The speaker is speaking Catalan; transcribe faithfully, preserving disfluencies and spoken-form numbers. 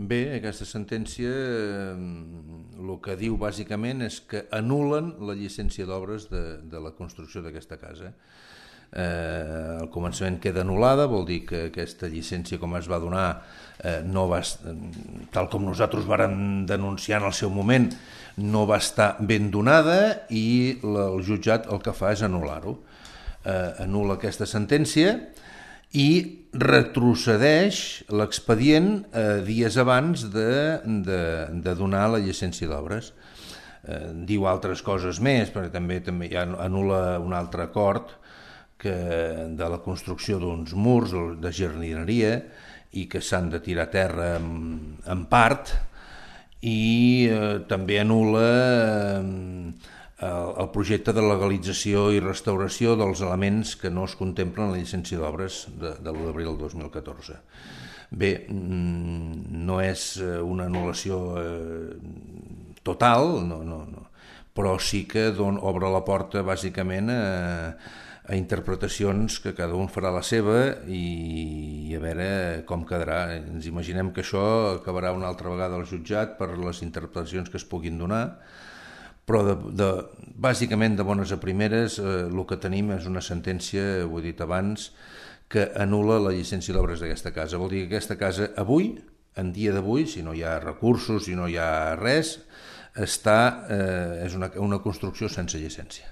Bé, aquesta sentència el que diu bàsicament és que anul·len la llicència d'obres de, de la construcció d'aquesta casa. Eh, al començament queda anul·lada, vol dir que aquesta llicència com es va donar eh, no va, tal com nosaltres vàrem denunciar en el seu moment, no va estar ben donada i la, el jutjat el que fa és anul·lar-ho. Eh, anul·la aquesta sentència i retrocedeix l'expedient eh, dies abans de, de, de donar la llicència d'obres. Eh, diu altres coses més, perquè també, també hi ha, anul·la un altre acord que, de la construcció d'uns murs de jardineria i que s'han de tirar a terra en, en part, i eh, també anul·la eh, el projecte de legalització i restauració dels elements que no es contemplen en la llicència d'obres de, de l'u d'abril del dos mil catorze. Bé, no és una anul·lació total, no, no, no, però sí que don, obre la porta bàsicament a, a interpretacions que cada un farà la seva i, i a veure com quedarà. Ens imaginem que això acabarà una altra vegada al jutjat per les interpretacions que es puguin donar, però de, de, bàsicament de bones a primeres eh, el que tenim és una sentència, ho he dit abans, que anul·la la llicència d'obres d'aquesta casa. Vol dir que aquesta casa avui, en dia d'avui, si no hi ha recursos, si no hi ha res, està, eh, és una, una construcció sense llicència.